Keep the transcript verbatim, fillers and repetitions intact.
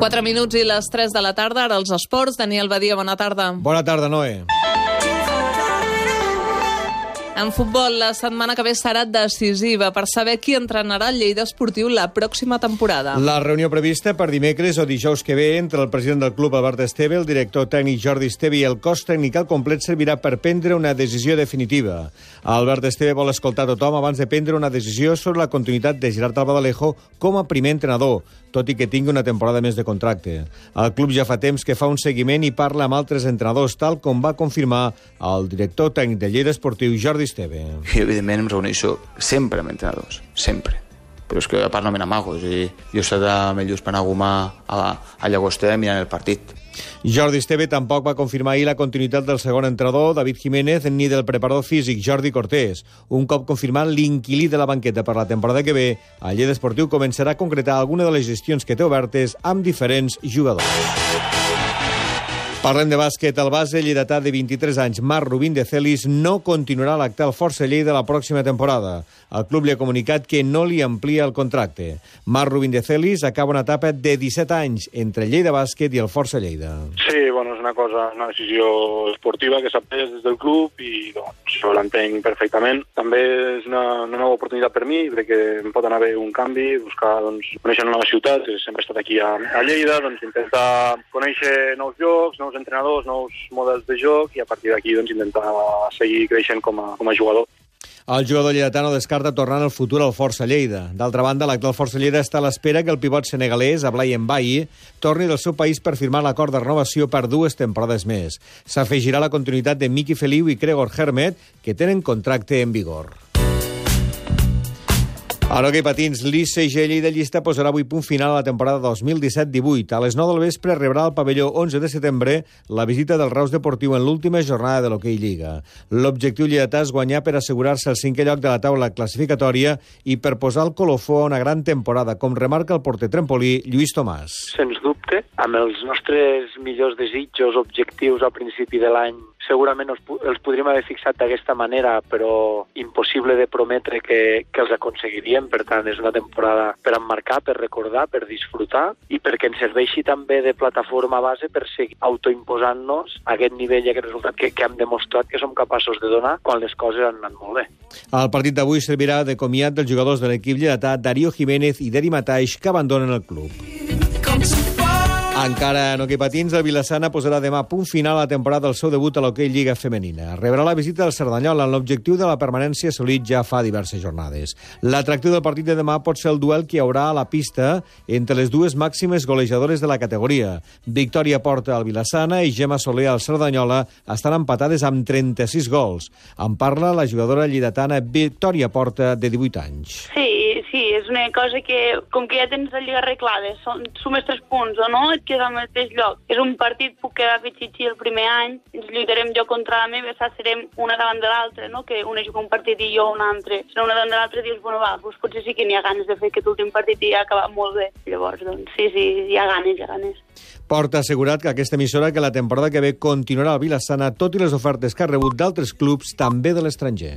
quatre minuts i les tres de la tarda, ara els esports. Daniel Badia, bona tarda. Bona tarda, Noé. En futbol, la setmana que ve serà decisiva per saber qui entrenarà el Lleida Esportiu la pròxima temporada. La reunió prevista per dimecres o dijous que ve entre el president del club, Albert Esteve, el director tècnic Jordi Esteve i el cos tècnic al complet servirà per prendre una decisió definitiva. Albert Esteve vol escoltar tothom abans de prendre una decisió sobre la continuïtat de Gerard Albaladejo com a primer entrenador, tot i que tingui una temporada més de contracte. El club ja fa temps que fa un seguiment i parla amb altres entrenadors, tal com va confirmar el director tècnic de Lleida Esportiu, Jordi Esteve. I, evidentment, em reuneixo sempre amb entrenadors, sempre. Però és que, a part, no me n'amago. Jo he estat amb ells per anar a Gomà, a, a Llagostera, mirant el partit. Jordi Esteve tampoc va confirmar ahir la continuïtat del segon entrenador, David Jiménez, ni del preparador físic, Jordi Cortés. Un cop confirmat l'inquilí de la banqueta per la temporada que ve, el Lleida Esportiu començarà a concretar alguna de les gestions que té obertes amb diferents jugadors. Parlem de bàsquet. El base lleidatà de vint-i-tres anys, Marc Rubín de Celis, no continuarà a l'actual Força Lleida la pròxima temporada. El club li ha comunicat que no li amplia el contracte. Marc Rubín de Celis acaba una etapa de disset anys entre Lleida Bàsquet i el Força Lleida. Sí, bueno, és una cosa, una decisió esportiva que s'ha pres des del club i doncs, jo l'entenc perfectament. També és una, una nova oportunitat per mi, crec que em pot anar bé un canvi, buscar, doncs, conèixer una nova ciutat, sempre he estat aquí a, a Lleida, doncs intentar conèixer nous llocs, nous entrenadors, nous models de joc i a partir d'aquí doncs, intentar seguir creixent com a, com a jugador. El jugador lleidatà no descarta tornar en el futur al Força Lleida. D'altra banda, l'actual Força Lleida està a l'espera que el pivot senegalès, Ablai Mbaye, torni del seu país per firmar l'acord de renovació per dues temporades més. S'afegirà la continuïtat de Miki Feliu i Gregor Hermet, que tenen contracte en vigor. A l'hoquei patins, l'I C G Lleida Llista posarà avui punt final a la temporada dos mil disset divuit. A les nou del vespre rebrà al pavelló onze de setembre la visita del Reus Deportiu en l'última jornada de l'Hoquei Lliga. L'objectiu lleidatà és guanyar per assegurar-se el cinquè lloc de la taula classificatòria i per posar el colofó a una gran temporada, com remarca el porter trempolí Lluís Tomàs. Sens dubte, amb els nostres millors desitjos, objectius al principi de l'any, segurament els, els podríem haver fixat d'aquesta manera, però impossible de prometre que, que els aconseguiríem. Per tant, és una temporada per emmarcar, per recordar, per disfrutar i perquè ens serveixi també de plataforma base per seguir autoimposant-nos aquest nivell i aquest resultat que, que hem demostrat que som capaços de donar quan les coses han anat molt bé. El partit d'avui servirà de comiat dels jugadors de l'equip lleidatà Darío Jiménez i Deri Mataix, que abandonen el club. Encara en hoquei patins, el Vilassana posarà demà punt final a la temporada del seu debut a l'Hoquei Lliga Femenina. Rebrà la visita del Cerdanyola amb l'objectiu de la permanència assolit ja fa diverses jornades. L'atractiu del partit de demà pot ser el duel que hi haurà a la pista entre les dues màximes golejadores de la categoria. Victòria Porta al Vilassana i Gemma Soler al Cerdanyola estan empatades amb trenta-sis gols. En parla la jugadora lleidatana Victòria Porta, de divuit anys. Sí, sí, és una cosa que, com que ja tens la lliga arreglada, sumes tres punts o no, et queda al mateix lloc. És un partit, puc quedar fitxitxi el primer any, ens lluitarem jo contra la meva, serem una davant de l'altra, no? Que una juga un partit i jo un altre. Serà una davant de l'altra i dius, bueno, va, doncs potser sí que n'hi ha ganes de fer aquest últim partit i ha acabat molt bé. Llavors, doncs, sí, sí, hi ha ganes, hi ha ganes. Porta ha assegurat que aquesta emissora que la temporada que ve continuarà al Vilassana, tot i les ofertes que ha rebut d'altres clubs, també de l'estranger.